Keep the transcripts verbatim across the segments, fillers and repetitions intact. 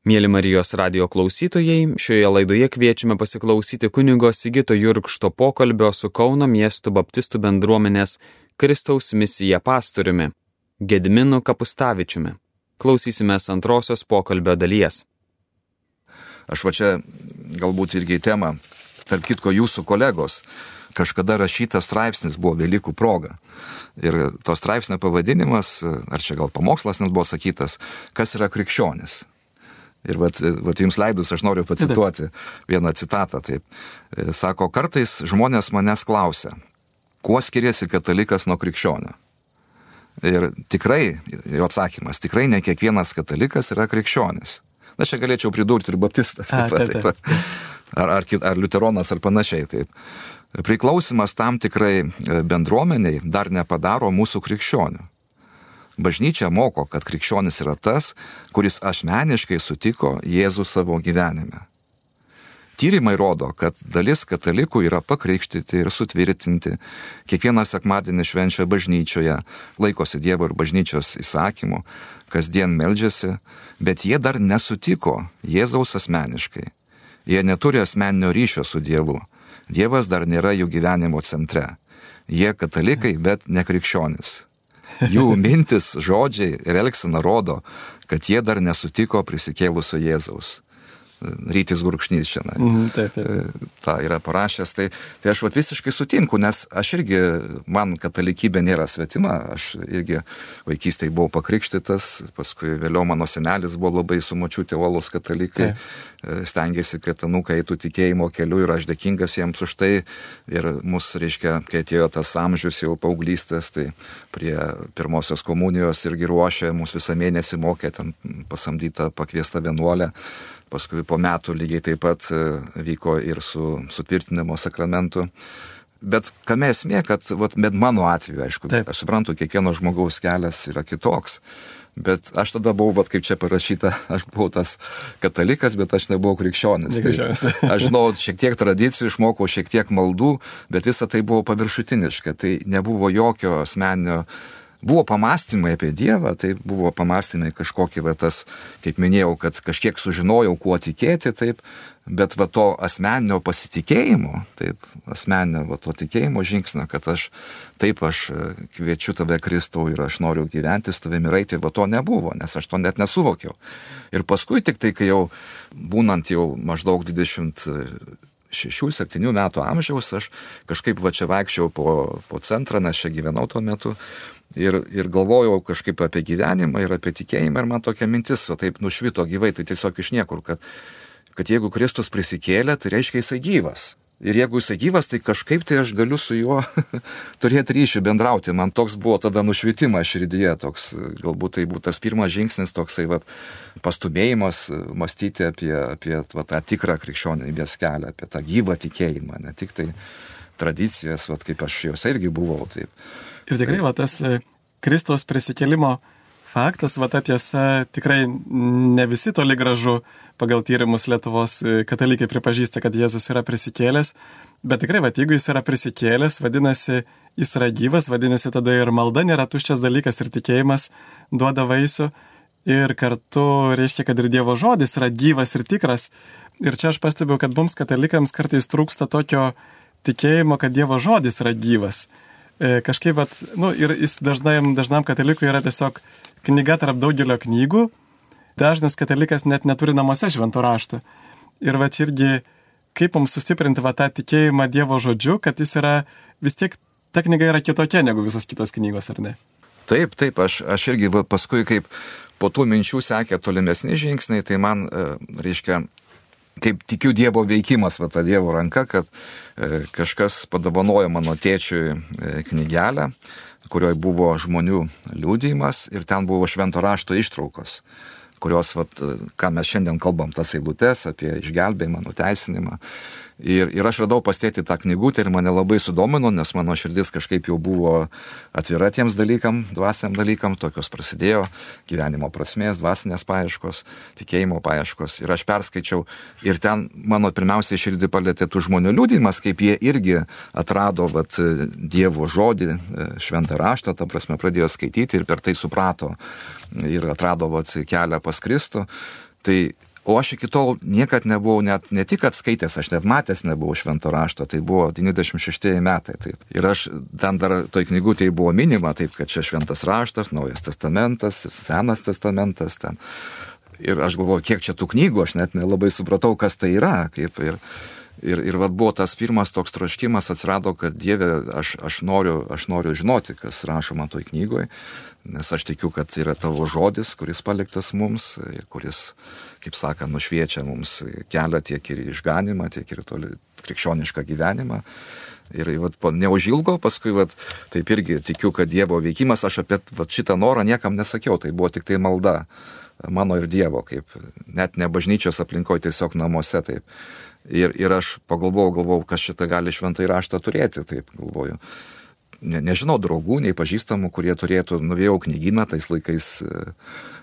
Mėly Marijos radijo klausytojai, šioje laidoje kviečiame pasiklausyti kunigo Sigito Jurkšto pokalbio su Kauno miestų baptistų bendruomenės Kristaus misija pastoriumi Gediminu Kapustavičiumi. Klausysimės antrosios pokalbio dalies. Aš va čia galbūt irgi temą, tarp kitko jūsų kolegos, kažkada rašytas straipsnis buvo Velykų proga. Ir to straipsnio pavadinimas, ar čia gal pamokslas net buvo sakytas, kas yra krikščionis. Ir vat, vat jums leidus aš noriu pacituoti vieną citatą. Taip. Sako, kartais žmonės manęs klausia, kuo skiriasi katalikas nuo krikščionio. Ir tikrai, jo atsakymas, tikrai ne kiekvienas katalikas yra krikščionis. Na, čia galėčiau pridurti ir baptistas, taip pat, taip pat. Ar, ar, ar liuteronas, ar panašiai. Taip. Priklausimas tam tikrai bendruomeniai dar nepadaro mūsų krikščionių. Bažnyčia moko, kad krikščionis yra tas, kuris asmeniškai sutiko Jėzų savo gyvenime. Tyrimai rodo, kad dalis katalikų yra pakrikštyti ir sutvirtinti, kiekvieną sekmadienį švenčia bažnyčioje, laikosi Dievo ir bažnyčios įsakymų, kasdien meldžiasi, bet jie dar nesutiko Jėzaus asmeniškai. Jie neturi asmeninio ryšio su Dievu. Dievas dar nėra jų gyvenimo centre. Jie katalikai, bet ne krikščionis. Jų mintis, žodžiai ir elgsena rodo, kad jie dar nesutiko prisikėlusio Jėzaus. Rytis Gurkšnys čia. Mm, taip, taip. Ta yra parašęs. Tai, tai aš vat visiškai sutinku, nes aš irgi, man katalikybė nėra svetima, aš irgi vaikystėje buvau pakrikštytas, paskui vėliau mano senelis buvo labai su močiutė uolūs katalikai, taip. Stengiasi, kad anūkai eitų tikėjimo keliu ir aš dėkingas jiems už tai. Ir mus, reiškia, kai atėjo tas amžius jau paauglystės, tai prie pirmosios komunijos irgi ruošė, mus visą mėnesį mokė, ten pasamdyta pakviesta vienuolė. Paskui po metų lygiai taip pat vyko ir su sutvirtinimo sakramentu. Bet kame esmė, kad vat, bet mano atveju, aišku, taip. Aš suprantu, kiekvieno žmogaus kelias yra kitoks. Bet aš tada buvau, vat, kaip čia parašyta, aš buvau tas katalikas, bet aš nebuvau krikščionis. Tai, aš žinau, šiek tiek tradicijų, išmokau šiek tiek maldų, bet visa tai buvo paviršutiniška. Tai nebuvo jokio asmeninio. Buvo pamastymai apie Dievą, tai buvo pamastymai kažkokie, va, tas, kaip minėjau, kad kažkiek sužinojau, kuo tikėti, taip, bet va, to asmeninio pasitikėjimo, taip, asmeninio va, to tikėjimo žingsnio, kad aš, taip, aš kviečiu tave Kristau ir aš noriu gyventi su tavimi ir eiti, va, to nebuvo, nes aš to net nesuvokiau. Ir paskui tik tai, kai jau būnant jau maždaug dvidešimt šešių septynių metų amžiaus, aš kažkaip va čia vaikščiau po, po centrą, nes čia gyvenau tuo metu. Ir, ir galvojau kažkaip apie gyvenimą ir apie tikėjimą ir man tokia mintis, o taip nušvito gyvai, tai tiesiog iš niekur, kad, kad jeigu Kristus prisikėlė, tai reiškia jisai gyvas. Ir jeigu jisai gyvas, tai kažkaip tai aš galiu su juo turėti ryšį, bendrauti. Man toks buvo tada nušvitimas širdyje, toks galbūt tai buvo tas pirmas žingsnis, toksai vat, pastumėjimas mąstyti apie, apie va, tą tikrą krikščionybės kelią, apie tą gyvą tikėjimą, ne tik tai tradicijas, vat, kaip aš jos irgi buvau. Taip. Ir tikrai, va, tas Kristaus prisikėlimo faktas, va, ta tiesa, tikrai ne visi toli gražu pagal tyrimus Lietuvos katalikai pripažįsta, kad Jėzus yra prisikėlęs, bet tikrai, va, jeigu jis yra prisikėlęs, vadinasi, jis yra gyvas, vadinasi, tada ir malda nėra tuščias dalykas ir tikėjimas duoda vaisių ir kartu reiškia, kad ir Dievo žodis yra gyvas ir tikras. Ir čia aš pastebiu, kad mums katalikams kartais trūksta tokio tikėjimo, kad Dievo žodis yra gyvas. Kažkaip, vat, nu, ir jis dažnam, dažnam katalikui yra tiesiog knyga tarp daugelio knygų. Dažnas katalikas net neturi namuose švento rašto. Ir va čia irgi, kaip mums sustiprinti va tą tikėjimą Dievo žodžiu, kad jis yra, vis tiek ta knyga yra kitokia negu visos kitos knygos, ar ne? Taip, taip, aš, aš irgi va, paskui kaip po tų minčių sekė tolimesni žingsniai, tai man, reiškia, kaip tikiu Dievo veikimas, va ta Dievo ranka, kad e, kažkas padovanojo mano tėčiui e, knygelę, kurioje buvo žmonių liudijimas ir ten buvo švento rašto ištraukos, kurios, vat, ką mes šiandien kalbam, tas eilutes apie išgelbėjimą, nuteisinimą. Ir, ir aš radau pas tėtį tą knygutę ir mane labai sudomino, nes mano širdis kažkaip jau buvo atvira tiems dalykam, dvasiniam dalykam, tokios prasidėjo gyvenimo prasmės, dvasinės paieškos, tikėjimo paieškos. Ir aš perskaičiau ir ten mano pirmiausiai širdį palėtė tų žmonių liudijimas, kaip jie irgi atrado vat, Dievo žodį, šventą raštą, ta prasme pradėjo skaityti ir per tai suprato ir atrado vat, kelią pas Kristų. Tai O aš iki tol niekad nebuvau, net, ne tik atskaitęs, aš net matęs nebuvau švento rašto, tai buvo devyniasdešimt šeštieji metai. Taip. Ir aš ten dar toj knygutėje buvo minima, taip, kad čia šventas raštas, naujas testamentas, senas testamentas ten. Ir aš galvoju, kiek čia tų knygų, aš net nelabai supratau, kas tai yra. Kaip, ir ir, ir vat buvo tas pirmas toks troškimas atsirado, kad Dieve, aš, aš, noriu, aš noriu žinoti, kas rašoma toj knygoje, nes aš tikiu, kad yra tavo žodis, kuris paliktas mums, kuris, kaip sakant, nušviečia mums kelią tiek ir išganimą, tiek ir toli krikščionišką gyvenimą. Ir vat, neužilgo, paskui vat, taip irgi tikiu, kad Dievo veikimas, aš apie vat, šitą norą niekam nesakiau, tai buvo tik tai malda mano ir Dievo, kaip net ne bažnyčios aplinkoje, tiesiog namuose, taip. Ir, ir aš pagalvojau, galvojau, kas šitą gali šventąjį raštą turėti, taip galvoju. Ne, nežinau draugų, nei pažįstamų, kurie turėtų, nuvėjau knygyną, tais laikais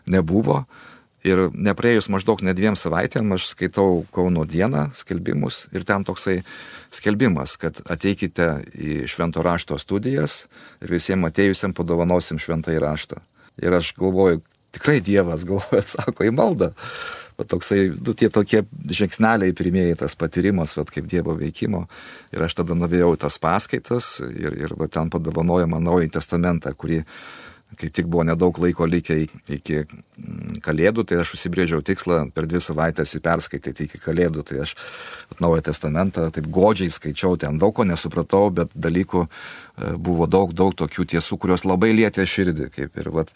nebuvo. Ir nepraėjus maždaug ne dviem savaitėm, aš skaitau Kauno dieną skelbimus ir ten toksai skelbimas, kad ateikite į švento rašto studijas ir visiems atėjusiam padovanosim šventąjį raštą. Ir aš galvoju, tikrai Dievas, galvoju, atsako į maldą. Va toksai, du tie tokie žingsneliai pirmieji, tas patyrimas, va, kaip Dievo veikimo. Ir aš tada nuvėjau tas paskaitas ir, ir va, ten padovanojo man Naująjį testamentą, kurį kaip tik buvo nedaug laiko likę iki Kalėdų, tai aš užsibrėžiau tikslą per dvi savaitės jį perskaityti iki Kalėdų. Tai aš Naująjį testamentą taip godžiai skaičiau, ten daug ko nesupratau, bet dalykų buvo daug, daug tokių tiesų, kurios labai lietė širdį. Kaip ir vat,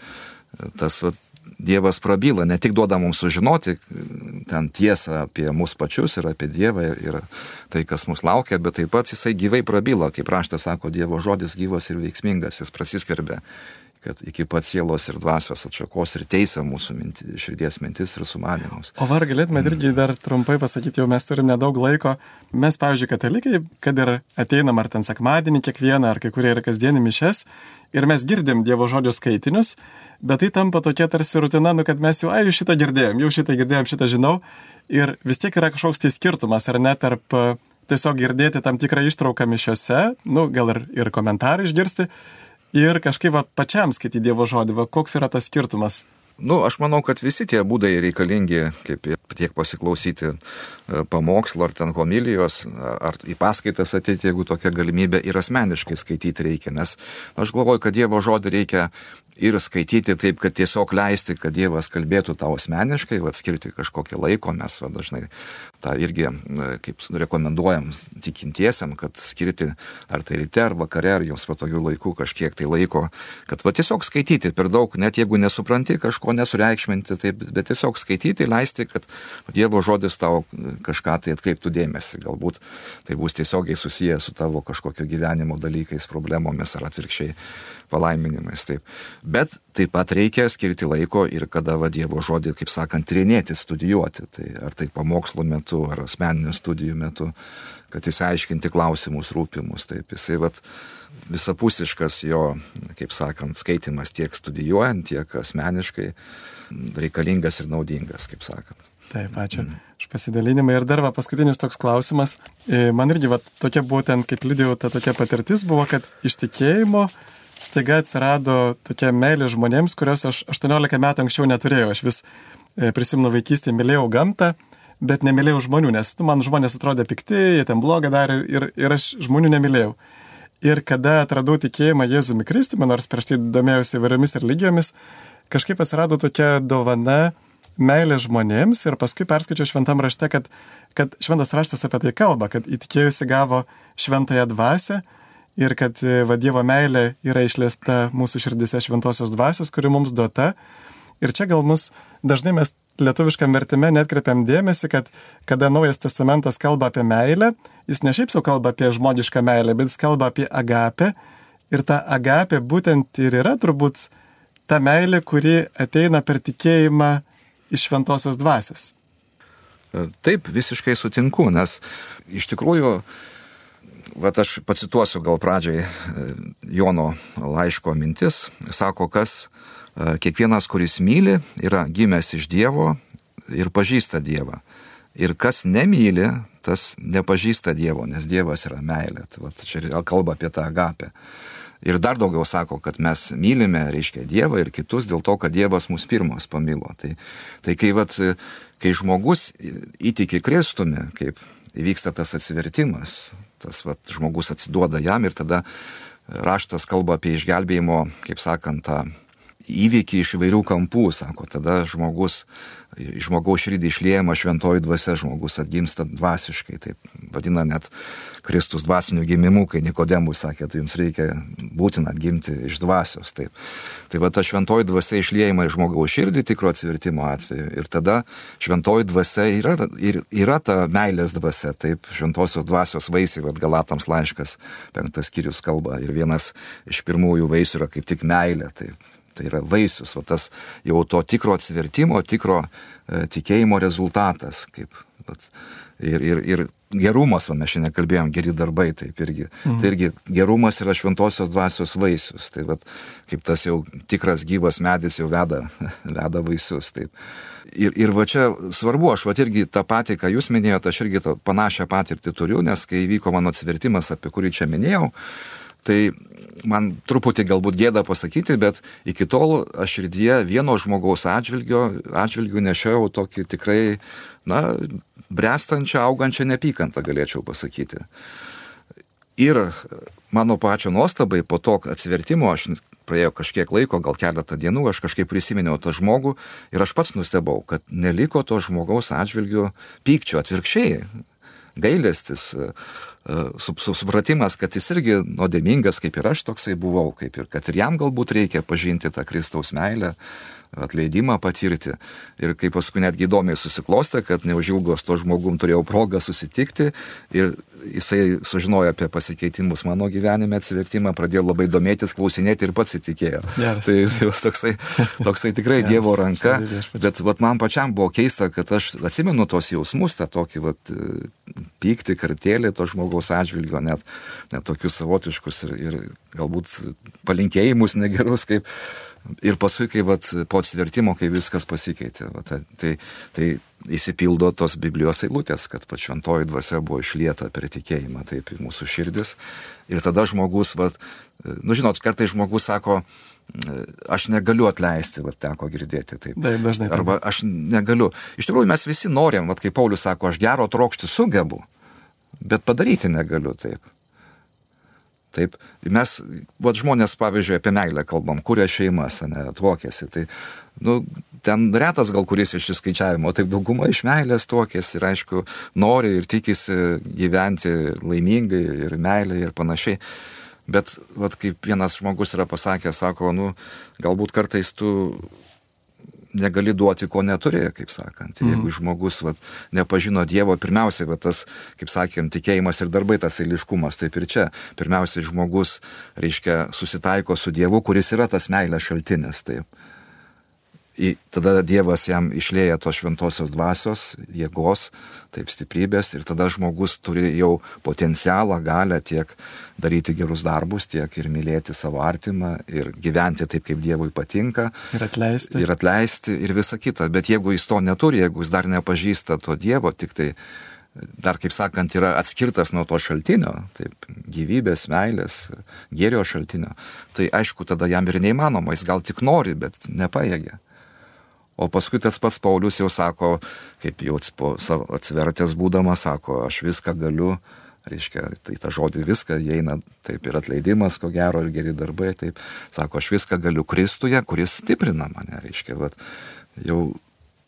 tas vat, Dievas prabyla, ne tik duoda mums sužinoti ten tiesą apie mus pačius ir apie Dievą ir, ir tai, kas mus laukia, bet taip pat jisai gyvai prabyla, kaip raštas sako, Dievo žodis gyvas ir veiksmingas, jis prasiskverbia, kad iki pat sielos ir dvasios atšakos ir teisia mūsų minti, širdies mintis ir sumanymus. O var galėtume irgi dar trumpai pasakyti, jau mes turim nedaug laiko. Mes, pavyzdžiui, katalikai, kad ir ateinam ar ten sekmadienį kiekvieną, ar kai kurie ir kasdienį mišes, ir mes girdim Dievo žodžio skaitinius, bet tai tampa tokia tarsi rutina, nu, kad mes jau, ai, šitą girdėjom, jau šitą girdėjom, šitą žinau, ir vis tiek yra kažkoks tai skirtumas, ar ne, tarp tiesiog girdėti tam tikrą ištrauką mišiose, nu, gal ir, ir komentarą išgirsti, ir kažkaip va, pačiam skaityti Dievo žodį, va, koks yra tas skirtumas? Nu, aš manau, kad visi tie būdai reikalingi, kaip tiek pasiklausyti pamokslo ar ten homilijos, ar į paskaitas ateiti, jeigu tokia galimybė, ir asmeniškai skaityti reikia, nes aš galvoju, kad Dievo žodį reikia ir skaityti taip, kad tiesiog leisti, kad Dievas kalbėtų tau asmeniškai, va, skirti kažkokį laiko, mes va, dažnai tą irgi, kaip rekomenduojam tikintiesiam, kad skirti ar tai ryte, ar vakare, ar jums patogių laikų kažkiek tai laiko, kad va, tiesiog skaityti per daug, net jeigu nesupranti kažko, nesureikšminti, taip, bet tiesiog skaityti, leisti, kad Dievo žodis tau kažką tai atkreiptų dėmesį. Galbūt tai bus tiesiogiai susiję su tavo kažkokio gyvenimo dalykais, problemomis ar atvirkščiai palaiminimais. Taip. Bet taip pat reikia skirti laiko ir kada va, Dievo žodį, kaip sakant, tyrinėti, studijuoti. Tai ar tai pamokslo metu, ar asmeninių studijų metu, kad išsiaiškinti klausimus rūpimus. Taip, jisai va, visapusiškas jo, kaip sakant, skaitimas tiek studijuojant, tiek asmeniškai reikalingas ir naudingas, kaip sakant. Taip, ačiū mm. už pasidalinimą. Ir dar va, paskutinis toks klausimas. Man irgi va, tokia būtent, kaip liudijau, ta tokia patirtis buvo, kad iš tikėjimo staiga atsirado tokia meilė žmonėms, kurios aš aštuoniolika metų anksčiau neturėjau. Aš vis prisimenu vaikystėje, mylėjau gamtą, bet nemylėjau žmonių, nes nu, man žmonės atrodė pikti, jie ten blogą darė ir, ir aš žmonių nemylėjau. Ir kada atradau tikėjimą Jėzumi Kristumi, nors prieš tai domėjausi įvairiomis religijomis, kažkaip atsirado tokia dovana meilė žmonėms ir paskui perskaičiau šventam rašte, kad, kad šventas raštas apie tai kalba, kad įtikėjusi gavo šventąją dvasią ir kad va, Dievo meilė yra išliesta mūsų širdise šventosios dvasios, kuri mums duota. Ir čia gal mus dažnai mes lietuviškam vertime netkreipiam dėmesį, kad kada Naujas testamentas kalba apie meilę, jis ne šiaip sau kalba apie žmogišką meilę, bet jis kalba apie agapę. Ir ta agapė būtent ir yra turbūt ta meilė, kuri ateina per tikėjimą iš šventosios dvasios. Taip, visiškai sutinku, nes iš tikrųjų, vat aš pacituosiu gal pradžiai Jono laiško mintis, sako, kas kiekvienas, kuris myli, yra gimęs iš Dievo ir pažįsta Dievą. Ir kas nemyli, tas nepažįsta Dievo, nes Dievas yra meilė. Vat čia kalba apie tą agapę. Ir dar daugiau sako, kad mes mylime, reiškia, Dievą ir kitus dėl to, kad Dievas mus pirmas pamilo. Tai, tai kai, vat, kai žmogus įtiki Kristumi, kaip įvyksta tas atsivertimas, tas vat, žmogus atsiduoda jam ir tada raštas kalba apie išgelbėjimo, kaip sakant, tą įvykį iš įvairių kampų, sako, tada žmogus, žmogaus širdį išliejama šventoji dvasia, žmogus atgimsta dvasiškai, taip vadina net Kristus dvasiniu gimimu, kai Nikodemui sakė, tai jums reikia būtina atgimti iš dvasios, taip. Tai va ta šventoji dvasia išliejama iš žmogaus širdį tikro atsivertimo atveju ir tada šventoji dvasia yra, ir, yra ta meilės dvasia, taip, šventosios dvasios vaisiai, vad Galatams laiškas, penktas skyrius kalba ir vienas iš pirmųjų vaisių yra kaip tik meilė, taip. Tai yra vaisius, o tas jau to tikro atsivertimo, tikro e, tikėjimo rezultatas. Kaip, vat, ir, ir, ir gerumas, va, mes šiandien kalbėjom, geri darbai, taip irgi. Mhm. Tai irgi gerumas yra šventosios dvasios vaisius. Tai vat, kaip tas jau tikras gyvas medis jau veda, veda vaisius. Taip. Ir, ir va čia svarbu, aš va irgi tą patį, ką jūs minėjote, aš irgi tą panašią patirtį turiu, nes kai vyko mano atsivertimas, apie kurį čia minėjau, tai man truputį galbūt gėda pasakyti, bet iki tol aš širdyje vieno žmogaus atžvilgio, atžvilgių nešiau tokį tikrai, na, brestančią, augančią nepykantą, galėčiau pasakyti. Ir mano pačio nuostabai, po to atsivertimo, aš praėjo kažkiek laiko, gal keletą dienų, aš kažkaip prisiminiau tą žmogų ir aš pats nustebau, kad neliko to žmogaus atžvilgių pykčio, atvirkščiai. Gailestis, supratimas, kad jis irgi nuodėmingas, kaip ir aš toksai buvau, kaip ir kad ir jam galbūt reikia pažinti tą Kristaus meilę, atleidimą patirti. Ir kaip paskui netgi įdomiai susiklostė, kad neužilgos to žmogum turėjau progą susitikti ir jisai sužinojo apie pasikeitimus mano gyvenime, atsivertimą, pradėjo labai domėtis, klausinėti ir pats įtikėjo. Yes. Tai, tai toksai, toksai tikrai yes. Dievo ranka, bet vat, man pačiam buvo keista, kad aš atsimenu tos jausmus, tą tokį vat, pyktį, kartėlį to žmogaus atžvilgio, net, net tokius savotiškus ir, ir galbūt palinkėjimus negerus, kaip ir paskui, kai vat, po atsivertimo, kai viskas pasikeitė, vat, tai, tai įsipildo tos Biblijos eilutės, kad pat šventoji dvasia buvo išlieta per tikėjimą taip į mūsų širdis. Ir tada žmogus, vat, nu žinot, kartais žmogus sako, aš negaliu atleisti, vat, teko girdėti taip. Taip, dažnai. Taip. Arba aš negaliu. Iš tikrųjų, mes visi norim, vat, kaip Paulius sako, aš gero trokšti sugebu, bet padaryti negaliu taip. Taip, mes, vat žmonės, pavyzdžiui, apie meilę kalbam, kuria šeimas, ne, tuokėsi, tai, nu, ten retas gal kuris iš išskaičiavimo, taip dauguma iš meilės tuokėsi ir, aišku, nori ir tikisi gyventi laimingai ir meilė ir panašiai, bet, vat, kaip vienas žmogus yra pasakęs, sako, nu, galbūt kartais tu negali duoti, ko neturi, kaip sakant. Mm. Jeigu žmogus vat, nepažino Dievo, pirmiausiai, vat, tas, kaip sakėm, tikėjimas ir darbai, tas eiliškumas, taip ir čia. Pirmiausiai žmogus, reiškia, susitaiko su Dievu, kuris yra tas meilės šaltinis. Taip. I, tada Dievas jam išlieja tos šventosios dvasios, jėgos, taip stiprybės ir tada žmogus turi jau potencialą, galę tiek daryti gerus darbus, tiek ir mylėti savo artimą ir gyventi taip, kaip Dievui patinka. Ir atleisti. Ir atleisti ir visa kita. Bet jeigu jis to neturi, jeigu jis dar nepažįsta to Dievo, tik tai dar, kaip sakant, yra atskirtas nuo to šaltinio, taip, gyvybės, meilės, gėrio šaltinio, tai aišku, tada jam ir neįmanoma, jis gal tik nori, bet nepajėgia. O paskui tas pats Paulius jau sako, kaip jau atsivertęs būdamas, sako, aš viską galiu, reiškia, tai tą žodį viską, įeina taip ir atleidimas, ko gero, ir geri darbai, taip, sako, aš viską galiu Kristuje, kuris stiprina mane, reiškia, vat, jau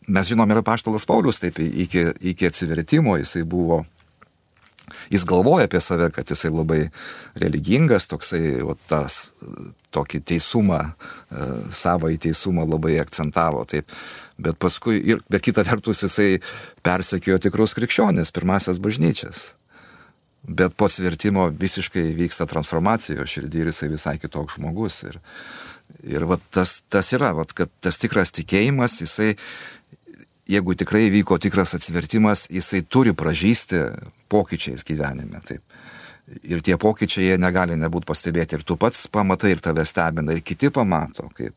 mes žinom, yra apaštalas Paulius, taip, iki, iki atsivertimo jisai buvo, jis galvoja apie save, kad jisai labai religingas, toksai, o tas, tokį teisumą, savo į teisumą labai akcentavo, taip. Bet paskui, ir, bet kita vertus jisai persekiojo tikrus krikščionis, pirmasias bažnyčias. Bet po atsivertimo visiškai vyksta transformacija širdį ir jisai visai kitoks žmogus. Ir, ir vat, tas, tas yra, vat, kad tas tikras tikėjimas, jisai, jeigu tikrai vyko tikras atsivertimas, jisai turi pražysti pokyčiais gyvenime, taip. Ir tie pokyčiai jie negali nebūti pastebėti. Ir tu pats pamatai ir tave stebina, ir kiti pamato. Kaip.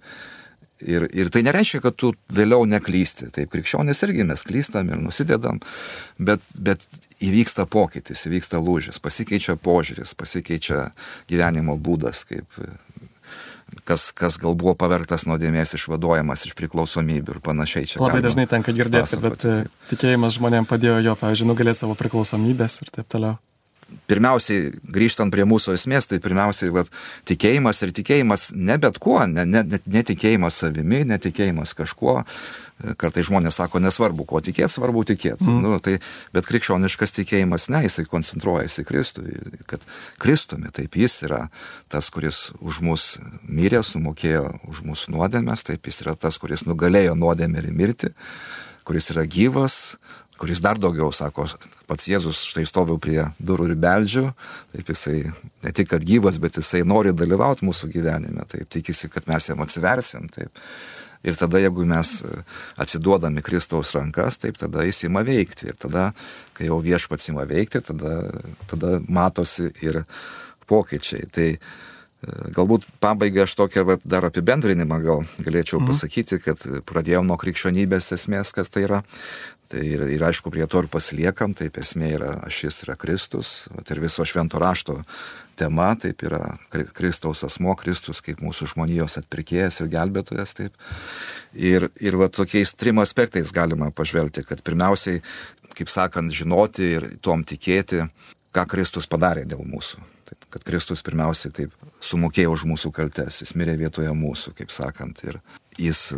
Ir, ir tai nereiškia, kad tu vėliau neklysti. Taip, krikščionys irgi mes klystam ir nusidedam, bet, bet įvyksta pokytis, įvyksta lūžis, pasikeičia požiūris, pasikeičia gyvenimo būdas, kaip kas, kas gal buvo pavergtas nuodėmės, išvaduojamas iš priklausomybių ir panašiai. Čia labai dažnai tenka girdėti, bet tikėjimas žmonėms padėjo jo, pavyzdžiui, nugalėti savo priklausomybės ir taip toliau. Pirmiausiai, grįžtant prie mūsų esmės, tai pirmiausiai vat, tikėjimas ir tikėjimas ne bet kuo, ne, ne, netikėjimas savimi, netikėjimas kažkuo. Kartai žmonės sako, nesvarbu, ko tikėti, svarbu tikėti. Mm. Nu, tai, bet krikščioniškas tikėjimas, ne, jisai koncentruojasi Kristui, kad Kristumi, taip jis yra tas, kuris už mus mirė, sumokėjo už mūsų nuodėmės, taip jis yra tas, kuris nugalėjo nuodėmę ir mirtį, kuris yra gyvas, kuris dar daugiau, sako, pats Jėzus, štai stoviu prie durų ir beldžiu, taip jisai ne tik, kad gyvas, bet jisai nori dalyvauti mūsų gyvenime, taip tikisi, kad mes jam atsiversim, taip. Ir tada, jeigu mes atsiduodami Kristaus rankas, taip tada jis ima veikti. Ir tada, kai jau viešpats ima veikti, tada, tada matosi ir pokyčiai. Tai galbūt pabaigai aš tokią va, dar apibendrinimą gal galėčiau mm. pasakyti, kad pradėjom nuo krikščionybės esmės, kas tai yra. Tai ir, ir aišku, prie to ir pasiliekam, taip esmė yra, ašis yra Kristus, vat, ir viso švento rašto tema, taip yra Kristaus asmo, Kristus kaip mūsų žmonijos atpirkėjas ir gelbėtojas, taip. Ir, ir va, tokiais trim aspektais galima pažvelgti, kad pirmiausiai, kaip sakant, žinoti ir tuom tikėti, ką Kristus padarė dėl mūsų. Taip, kad Kristus pirmiausiai taip sumokėjo už mūsų kaltes, jis mirė vietoje mūsų, kaip sakant, ir jis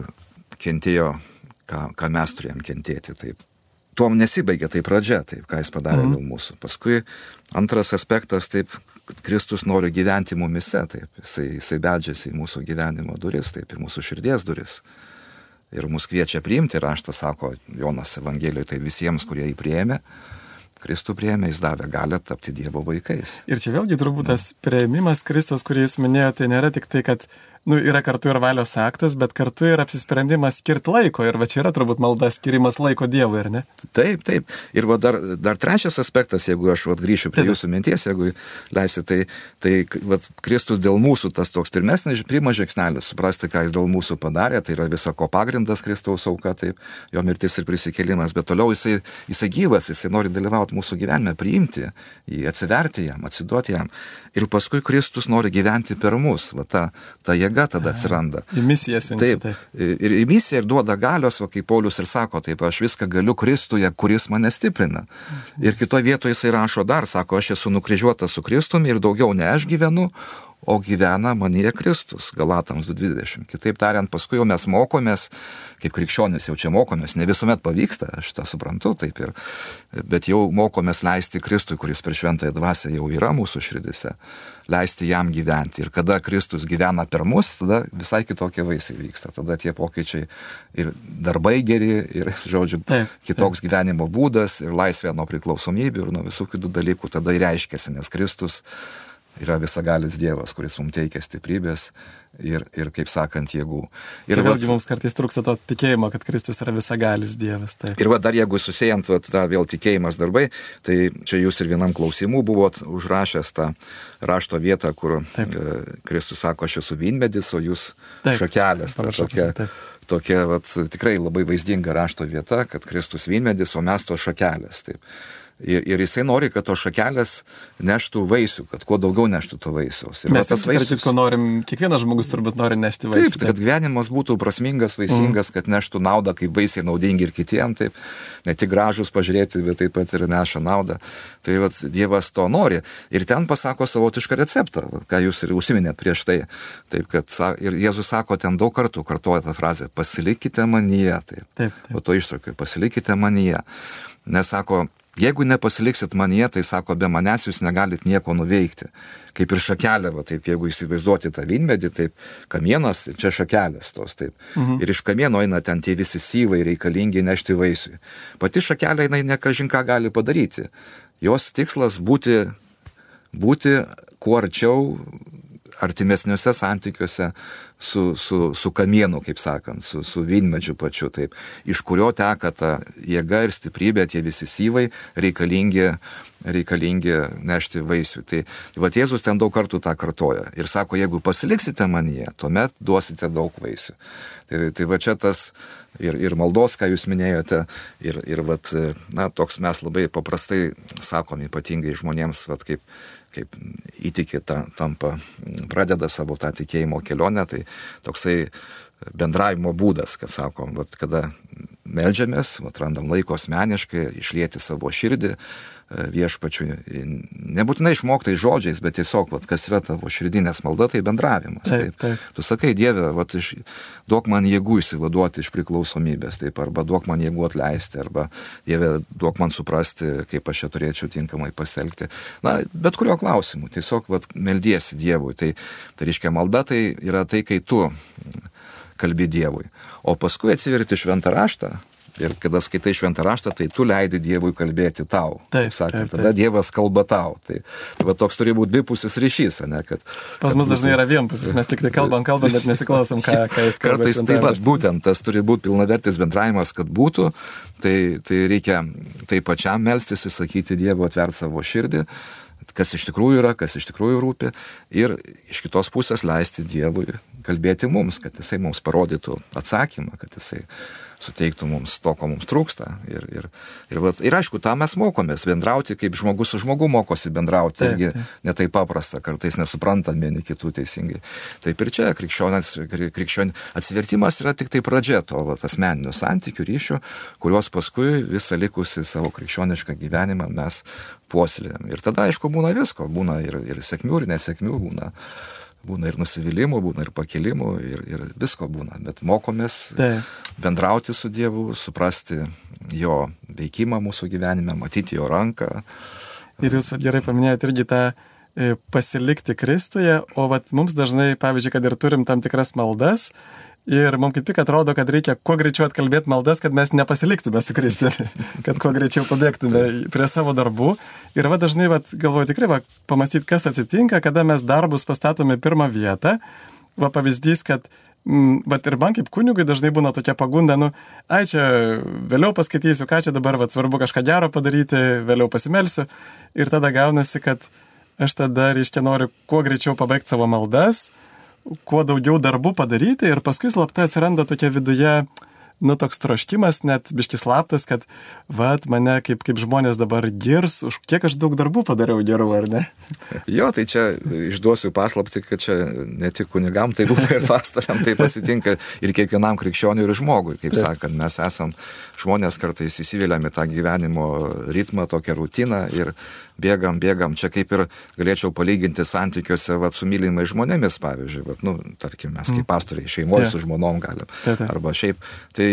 kentėjo, ką, ką mes turėjom kentėti, taip. Tuom nesibaigė tai pradžia, taip, ką jis padarė mm. dėl mūsų. Paskui antras aspektas, taip, kad Kristus nori gyventi mumise, taip, jisai, jisai beldžiasi į mūsų gyvenimo duris, taip, ir mūsų širdies duris. Ir mus kviečia priimti, raštas sako Jonas Evangelijoje, tai visiems, kurie jį priėmė, Kristų priėmė, jis davė galią tapti Dievo vaikais. Ir čia vėlgi turbūt tas priėmimas Kristaus, kurį jūs minėjote, tai nėra tik tai, kad nu, yra kartu ir valios aktas, bet kartu ir apsisprendimas skirti laiko. Ir va čia yra turbūt malda skirimas laiko Dievui, ar ne? Taip, taip. Ir va dar, dar trečias aspektas, jeigu aš va grįšiu prie taip. Jūsų minties, jeigu leisi, tai, tai va, Kristus dėl mūsų, tas toks pirmesnis, pirmas žingsnelis, suprasti, ką jis dėl mūsų padarė, tai yra visa ko pagrindas Kristaus auka, taip, jo mirtis ir prisikėlimas, bet toliau jisai, jisai gyvas, jisai nori dalyvauti mūsų gyvenime, priimti jį, atsiverti jam, atsiduoti jam. Ir paskui Kristus nori gyventi per mus, va ta, ta jėga tada atsiranda. Į misiją siunčia. Taip, ir į misiją ir duoda galios, va, kaip Paulius ir sako, taip, aš viską galiu Kristuje, kuris mane stiprina. Ir kitoje vietoje jisai rašo dar, sako, aš esu nukryžiuotas su Kristumi ir daugiau ne aš gyvenu, o gyvena manyje Kristus, Galatams du dvidešimt. Kitaip tariant, paskui jau mes mokomės, kaip krikščionys jau čia mokomės, ne visuomet pavyksta, aš tą suprantu, taip ir, bet jau mokomės leisti Kristui, kuris per šventąją dvasią jau yra mūsų širdise, leisti jam gyventi. Ir kada Kristus gyvena per mus, tada visai kitokie vaisiai vyksta, tada tie pokyčiai ir darbai geri, ir, žodžiu, taip, kitoks taip. Gyvenimo būdas, ir laisvė nuo priklausomybių, ir nuo visų kitų dalykų tada ir reiškiasi, nes Kristus yra visagalis Dievas, kuris mums teikia stiprybės ir, ir kaip sakant, jėgų. Ir čia vėlgi mums kartais trūksta to tikėjimo, kad Kristus yra visagalis Dievas. Taip. Ir va, dar jeigu susijant va, tą vėl tikėjimas darbai, tai čia jūs ir vienam klausimų buvot užrašęs tą rašto vietą, kur taip. Kristus sako, aš esu vynmedis, o jūs taip. Šakelės. Ta, tokia, tokia vat, tikrai labai vaizdinga rašto vieta, kad Kristus vynmedis, o mes to šakelės. Taip. Ir, ir jisai nori, kad tos šakelės neštų vaisių, kad kuo daugiau neštų to vaisiaus. Ir mes tas vaisius, ko norim, kiekvienas žmogus turbūt nori nešti vaisių. Taip, kad gyvenimas būtų prasmingas, vaisingas, mm. kad neštų naudą, kaip vaisiai naudingi ir kitiem, taip, ne tik gražus pažiūrėti, bet taip pat ir neša naudą. Tai vat, Dievas to nori. Ir ten pasako savotišką receptą, ką jūs ir užsiminėt prieš tai. Taip, kad, ir Jėzus sako ten daug kartų, kartuoja tą frazę, pasilikite manyje. Taip, taip, taip. O to ištraukiu, pasilikite manyje. Nes sako, jeigu nepasiliksit manyje, tai sako, be manęs jūs negalit nieko nuveikti. Kaip ir šakelė, va, taip, jeigu įsivaizduoti tą vynmedį, taip, kamienas, čia šakelės tos, taip. Mhm. Ir iš kamieno eina ten tie visi syvai reikalingi nešti vaisiui. Pati šakelė, jinai nekažin ką gali padaryti. Jos tikslas būti, būti kuo arčiau, artimesniuose santykiuose su, su, su kamienu, kaip sakant, su, su vynmedžiu pačiu, taip, iš kurio teka ta jėga ir stiprybė, tie visi syvai reikalingi, reikalingi nešti vaisių. Tai, tai va Jėzus ten daug kartų tą kartoja ir sako, jeigu pasiliksite manyje, tuomet duosite daug vaisių. Tai, tai va čia tas ir, ir maldos, ką jūs minėjote, ir, ir vat, na, toks mes labai paprastai sakom, ypatingai žmonėms, vat, kaip, kaip įtikė ta, tampa, pradeda savo tą tikėjimo kelionę, tai toksai bendravimo būdas, kad sakom, vat, kada meldžiamės, vat, randam laiko asmeniškai, išlieti savo širdį viešpačiui, nebūtinai išmoktai žodžiais, bet tiesiog, vat, kas yra tavo širdinės malda, tai bendravimas. Taip, taip. Tu sakai, Dieve, vat, iš, duok man jėgų išsivaduoti iš priklausomybės, taip, arba duok man jėgų atleisti, arba Dieve, duok man suprasti, kaip aš čia turėčiau tinkamai pasielgti. Na, bet kurio klausimu, tiesiog vat, meldiesi Dievui. Tai, tai reiškia, malda tai yra tai, kai tu kalbi Dievui. O paskui atsiverti šventą raštą. Ir kada skaitai šventą raštą, tai tu leidi Dievui kalbėti tau. Taip, sakant, taip, taip. Tada Dievas kalba tau. Tai, tai va, toks turi būti dvipusis ryšys, ne? Kad, Pas mus dažnai yra vienpusis, mes tik tai kalbam, kalbam, bet nesiklausom, ką, ką jis kalba. Kartais taip pat, būtent tas turi būti pilnavertis bendravimas, kad būtų, tai, tai reikia tai pačiam melstis, įsakyti Dievo, atverti savo širdį, kas iš tikrųjų yra, kas iš tikrųjų rūpi, ir iš kitos pusės leisti Dievui kalbėti mums, kad jisai mums parodytų atsakymą, kad jisai suteiktų mums to, ko mums trūksta. Ir, ir, ir, vat, ir aišku, tą mes mokomės bendrauti, kaip žmogus su žmogu mokosi bendrauti, taip, irgi taip. ne taip paprasta, kartais nesuprantam vieni kitų teisingai. Taip ir čia krikščionės, krikščion, atsivertimas yra tik tai pradžia to vat, asmeninių santykių, ryšių, kuriuos paskui visą likusį savo krikščionišką gyvenimą mes puoselėjam. Ir tada, aišku, būna visko, būna ir, ir sėkmių, ir nesėkmių, būna. Būna ir nusivylimų, būna ir pakilimų, ir, ir visko būna. Bet mokomės Taip. bendrauti su Dievu, suprasti jo veikimą mūsų gyvenime, matyti jo ranką. Ir jūs gerai paminėjote irgi tą e, pasilikti Kristuje, o vat, mums dažnai, pavyzdžiui, kad ir turim tam tikras maldas, ir mums kaip tik atrodo, kad reikia kuo greičiau atkalbėti maldas, kad mes nepasiliktume su Kristumi, kad kuo greičiau pabėgtume prie savo darbų. Ir va dažnai, va, galvoju tikrai, va, pamastyti, kas atsitinka, kada mes darbus pastatome pirmą vietą. Va pavyzdys, kad m, va, ir man kaip kunigui dažnai būna tokia pagunda, nu, ai čia vėliau paskaitysiu, ką čia dabar, va, svarbu kažką gero padaryti, vėliau pasimelsiu. Ir tada gaunasi, kad aš tada, reiškia, noriu kuo greičiau pabaigti savo maldas, kuo daugiau darbų padaryti, ir paskui slapta atsiranda tokia viduje, nu, toks troškimas, net biškis slaptas, kad, vat, mane kaip, kaip žmonės dabar girs, už kiek aš daug darbų padariau gerų, ar ne? Jo, tai čia išduosiu paslaptį, kad čia ne tik kunigam, tai būna ir pastoriam, taip atsitinka ir kiekvienam krikščioniui ir žmogui, kaip taip. Sakant, mes esam žmonės kartais įsivėliam į tą gyvenimo ritmą, tokią rutiną ir bėgam, bėgam, čia kaip ir galėčiau palyginti santykiuose vat, su mylimais žmonėmis, pavyzdžiui, vat, nu, tarkim, mes kaip pastoriai šeimoje yeah. su žmonom galim, yeah, yeah. arba šiaip, tai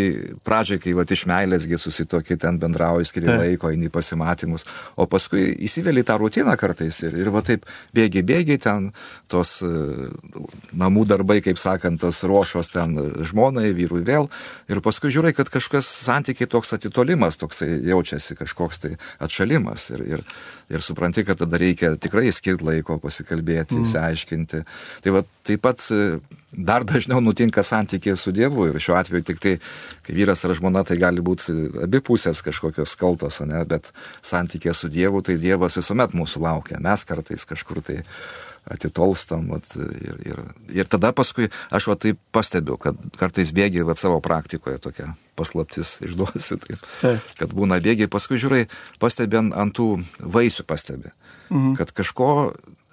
pradžiai, kai vat, iš meilėsgi susitokį ten bendrauji, skiri yeah. laiko, eini pasimatymus, o paskui įsivėli tą rutiną kartais ir, ir va taip bėgi, bėgi ten tos uh, namų darbai, kaip sakant, tos ruošos ten žmonai, vyrui vėl, ir paskui žiūrai, kad kažkas santykiai toks atitolimas, toksai jaučiasi kažkoks tai atšalimas ir, ir Ir supranti, kad tada reikia tikrai skirti laiko, pasikalbėti, mm. įsiaiškinti. Tai va, taip pat dar dažniau nutinka santykiai su Dievu. Ir šiuo atveju tik tai, kai vyras ar žmona, tai gali būti abi pusės kažkokios kaltos, ne? Bet santykiai su Dievu, tai Dievas visuomet mūsų laukia. Mes kartais kažkur tai atitolstam. Vat, ir, ir, ir tada paskui aš va taip pastebiu, kad kartais bėgiai vat, savo praktikoje tokia paslaptis išduosi, taip, kad būna bėgiai, paskui žiūrai, pastebi ant, ant tų vaisių pastebi, mhm. kad kažko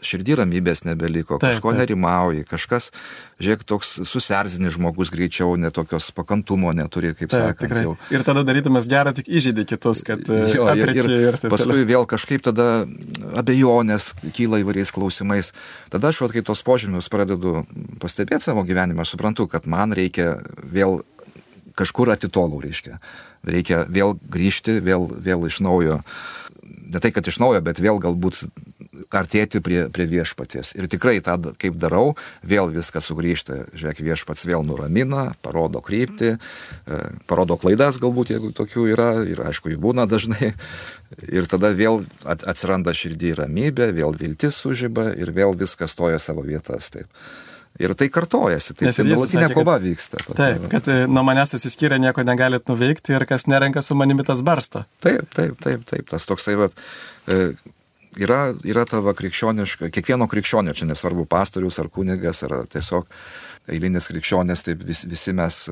širdį ramybės nebeliko, taip, kažko taip. Nerimauji, kažkas, žiūrėk, toks susierzinis žmogus greičiau, netokios pakantumo neturi, kaip taip, sakant. Jau. Ir tada darytumas gerą tik įžeidė kitus, kad jo, ir, ir, ir paskui toliau. Vėl kažkaip tada abejonės kyla įvairiais klausimais. Tada aš, vat, kaip tos požymius pradedu pastebėti savo gyvenimą, aš suprantu, kad man reikia vėl kažkur atitolau, reiškia. Reikia vėl grįžti, vėl, vėl iš naujo, ne tai, kad iš naujo, bet vėl galbūt artėti prie, prie viešpaties. Ir tikrai tą, kaip darau, vėl viskas sugrįžta. Žiūrėk, viešpats vėl nuramina, parodo kryptį, parodo klaidas galbūt, jeigu tokių yra, ir aišku, jų būna dažnai. Ir tada vėl atsiranda širdį ramybė, vėl viltis sužiba ir vėl viskas stoja savo vietas. Taip. Ir tai kartojasi, tai nuolatinė kova kad, vyksta. Taip, kad nuo manęs atsiskyrę nieko negalit nuveikti ir kas nerenka su manimi tas barsto. Taip, taip, taip, taip. Tas toksai, vat, yra, yra tava krikščioniška, kiekvieno krikščionio, čia nesvarbu pastorius ar kunigas, ar tiesiog eilinis krikščionis, taip vis, visi mes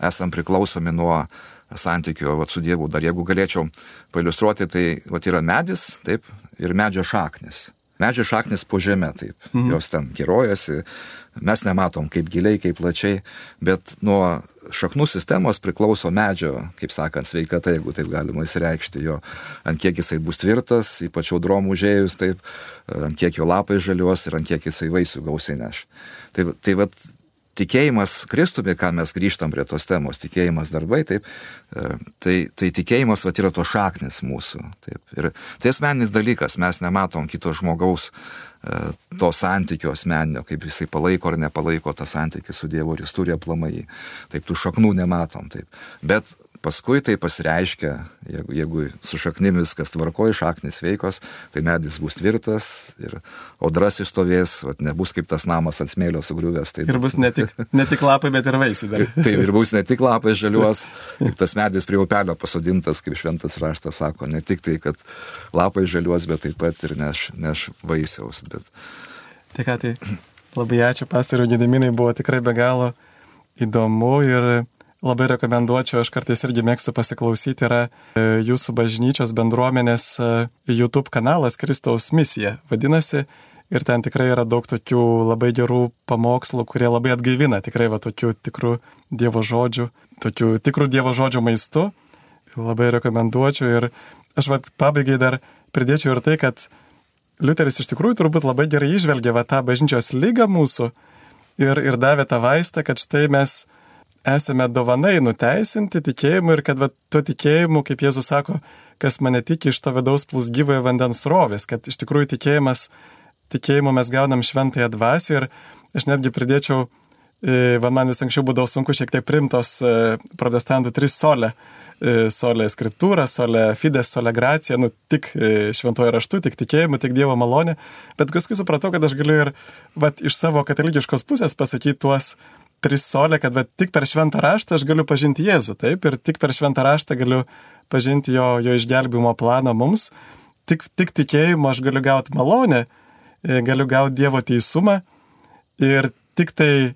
esam priklausomi nuo santykio vat, su Dievu. Dar jeigu galėčiau pailiustruoti, tai vat, yra medis, taip, ir medžio šaknis. Medžio šaknis po žeme, taip, mhm. jos ten kirojasi, mes nematom kaip giliai, kaip plačiai, bet nuo šaknų sistemos priklauso medžio, kaip sakant, sveikata, jeigu taip galima įsireikšti, jo, ant kiek jisai bus tvirtas, ypač audrom užėjus, taip, ant kiek jo lapai žaliuos ir ant kiek jisai vaisių gausiai neš. Tai, tai vat, tikėjimas Kristumi, ką mes grįžtam prie tos temos, tikėjimas darbai, taip, tai, tai tikėjimas vat, yra to šaknis mūsų. Taip, ir tai asmeninis dalykas, mes nematom kito žmogaus to santykio asmeninio, kaip jisai palaiko ar nepalaiko tą santykį su Dievu, ir jis turi aplamai. Taip, tų šaknų nematom. Taip. Bet paskui tai pasireiškia, jeigu, jeigu su šaknim viskas tvarkoja, šaknis veikos, tai medis bus tvirtas ir audras išstovės, vat, nebus kaip tas namas ant smėlio sugriuvęs. Tai... Ir bus ne tik, ne tik lapai, bet ir vaisiai dar. Taip, ir bus ne tik lapai žaliuos, kaip tas medis prie upelio pasodintas, kaip šventas raštas sako, ne tik tai, kad lapai žaliuos, bet taip pat ir neš, neš vaisiaus. Bet... Tai ką, tai labai ačiū, pastoriau Gediminai, buvo tikrai be galo įdomu ir labai rekomenduočiau, aš kartais irgi mėgstu pasiklausyti, yra jūsų bažnyčios bendruomenės YouTube kanalas Kristaus misija, vadinasi, ir ten tikrai yra daug tokių labai gerų pamokslų, kurie labai atgaivina, tikrai va tokių tikrų Dievo žodžių, tokių tikrų Dievo žodžių maistu, labai rekomenduočiau. Ir aš va pabaigai dar pridėčiau ir tai, kad Liuteris iš tikrųjų turbūt labai gerai išvelgė va tą bažnyčios ligą mūsų ir, ir davė tą vaistą, kad štai mes esame dovanai nuteisinti tikėjimu ir kad va, tuo tikėjimu, kaip Jėzus sako, kas mane tiki, iš to vidaus plūs gyvojo vandens srovės, kad iš tikrųjų tikėjimas, tikėjimu mes gaunam šventąją dvasią ir aš netgi pridėčiau, va, man vis anksčiau būdavo sunku šiek tiek primtos protestantų tris solė, solė skriptūra, solė fides, solė gracija, nu tik šventuoju raštu, tik tikėjimu, tik Dievo malonė, bet paskui supratau, kad aš galiu ir va, iš savo katalikiškos pusės pasakyti tuos tris solė, kad va, tik per šventą raštą aš galiu pažinti Jėzų, taip, ir tik per šventą raštą galiu pažinti jo, jo išgelbimo planą mums, tik, tik tikėjimu aš galiu gauti malonę, galiu gauti Dievo teisumą ir tik tai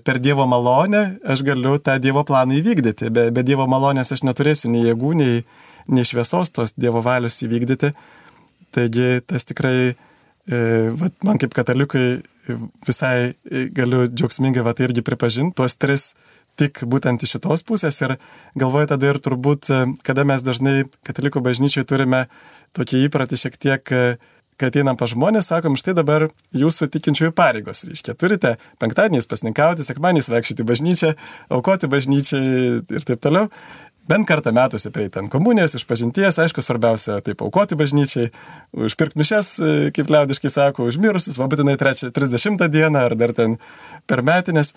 per Dievo malonę aš galiu tą Dievo planą įvykdyti, be, be Dievo malonės aš neturėsiu nei jėgų, nei, nei šviesos tos Dievo valios įvykdyti, taigi tas tikrai, va, man kaip katalikai, visai galiu džiaugsmingai va, tai irgi pripažinti, tuos tris tik būtent iš šitos pusės ir galvoju tada ir turbūt, kada mes dažnai katalikų bažnyčiai turime tokį įpratį šiek tiek, kai ateinam pas žmonės, sakom, štai dabar jūsų tikinčiųjų pareigos, reiškia, turite penktadieniais pasninkauti, sekmadieniais vaikščioti į bažnyčią, aukoti bažnyčiai ir taip toliau. Bent kartą metuose prieiti ant komunijos, išpažinties, aišku, svarbiausia taip aukoti bažnyčiai, užpirkti mišias, kaip liaudiškai sako, užmirusius, va būtinai trisdešimtą dieną ar dar ten per metinės.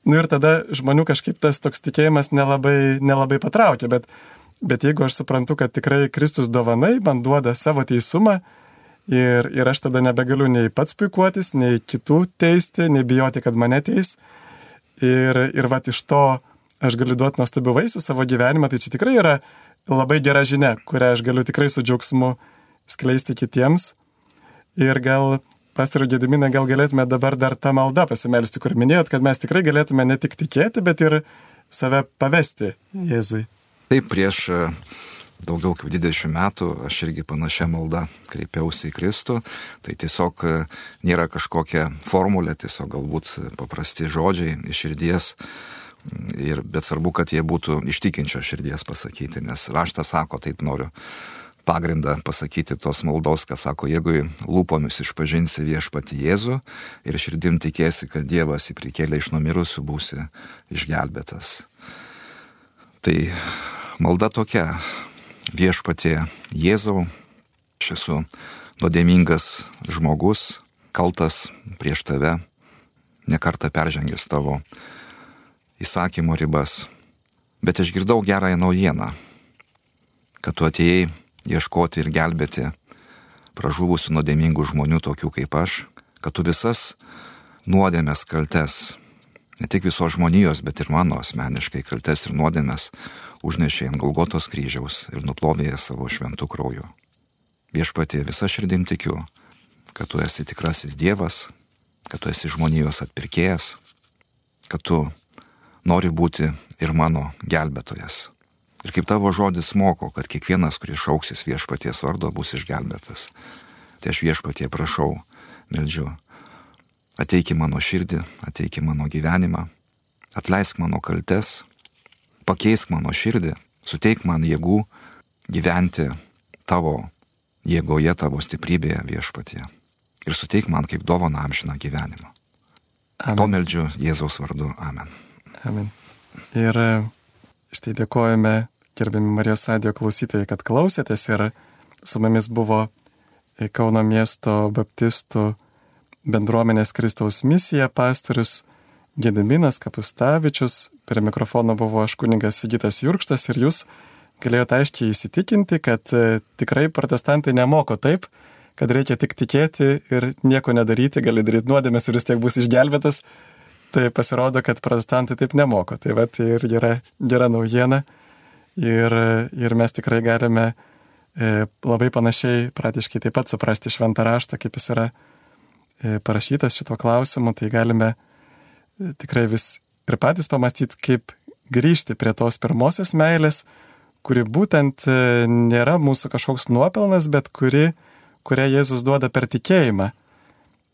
Nu ir tada žmonių kažkaip tas toks tikėjimas nelabai, nelabai patraukia, bet, bet jeigu aš suprantu, kad tikrai Kristus dovanai man duoda savo teisumą ir, ir aš tada nebegaliu nei pats puikuotis, nei kitų teisti, nei bijoti, kad mane teis. Ir, ir va iš to aš galiu duoti nuostabių vaisių savo gyvenimą, tai čia tikrai yra labai gera žinia, kurią aš galiu tikrai su džiaugsmu skleisti kitiems. Ir gal, pastoriau Gediminai, gal galėtume dabar dar tą maldą pasimelsti, kur minėjot, kad mes tikrai galėtume ne tik tikėti, bet ir save pavesti Jėzui. Taip, prieš daugiau kaip dvidešimt metų aš irgi panašią maldą kreipiausi į Kristų. Tai tiesiog nėra kažkokia formulė, tiesiog galbūt paprasti žodžiai iš širdies. Ir, bet svarbu, kad jie būtų iš tikinčio širdies pasakyti, nes raštas sako, taip noriu pagrindą pasakyti tos maldos, kad sako, jeigu lūpomis išpažinsi viešpatį Jėzų ir širdim tikėsi, kad Dievas jį prikėlė iš numirusių, būsi išgelbėtas. Tai malda tokia, viešpatie Jėzau, aš esu nuodėmingas žmogus, kaltas prieš tave, nekartą peržengęs tavo įsakymo ribas, bet išgirdau gerąją naujieną, kad tu atėjai ieškoti ir gelbėti pražuvusių nuodėmingų žmonių tokių kaip aš, kad tu visas nuodėmės kaltes, ne tik visos žmonijos, bet ir mano asmeniškai kaltes ir nuodėmės užnešė ant Golgotos kryžiaus ir nuplovė savo šventų krauju. Viešpatie, visa širdim tikiu, kad tu esi tikrasis Dievas, kad tu esi žmonijos atpirkėjas, kad tu nori būti ir mano gelbėtojas. Ir kaip tavo žodis moko, kad kiekvienas, kuris šauksis viešpaties vardo, bus išgelbėtas. Tai aš viešpatie prašau, meldžiu, ateik į mano širdį, ateik į mano gyvenimą, atleisk mano kaltes, pakeisk mano širdį, suteik man jėgų gyventi tavo jėgoje, tavo stiprybėje viešpatie. Ir suteik man kaip dovaną amžiną gyvenimą. Amen. To meldžiu Jėzaus vardu. Amen. Amen. Ir štai dėkojame, gerbiami Marijos radijo klausytojai, kad klausėtės, ir su mumis buvo Kauno miesto baptistų bendruomenės Kristaus misija pastorius Gediminas Kapustavičius. Prie mikrofono buvo aš kunigas Sigitas Jurkštas, ir jūs galėjote aiškiai įsitikinti, kad tikrai protestantai nemoko taip, kad reikia tik tikėti ir nieko nedaryti, gali daryti nuodėmes ir vis tiek bus išgelbėtas. Tai pasirodo, kad protestantai taip nemoko. Tai va, tai ir yra gera naujiena. Ir, ir mes tikrai galime e, labai panašiai, praktiškai taip pat suprasti šventą raštą, kaip jis yra e, parašytas šituo klausimu. Tai galime e, tikrai vis ir patys pamastyti, kaip grįžti prie tos pirmosios meilės, kuri būtent e, nėra mūsų kažkoks nuopelnas, bet kuri, kurią Jėzus duoda per tikėjimą.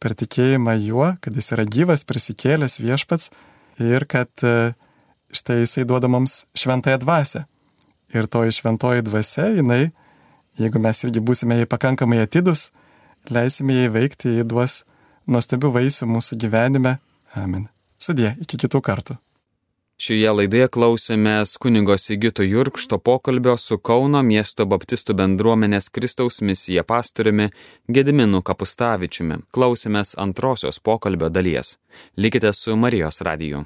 Per tikėjimą juo, kad jis yra gyvas, prisikėlęs viešpats, ir kad štai jisai duoda mums šventąją dvasią. Ir toji šventoji dvasia, jinai, jeigu mes irgi būsime jai pakankamai atidus, leisime jai veikti, jai duos nuostabių vaisių mūsų gyvenime. Amen. Sudie, iki kitų kartų. Šioje laidoje klausėmės kunigo Sigito Jurkšto pokalbio su Kauno miesto baptistų bendruomenės Kristaus misija pastoriumi Gediminu Kapustavičiumi. Klausėmės antrosios pokalbio dalies. Likite su Marijos radiju.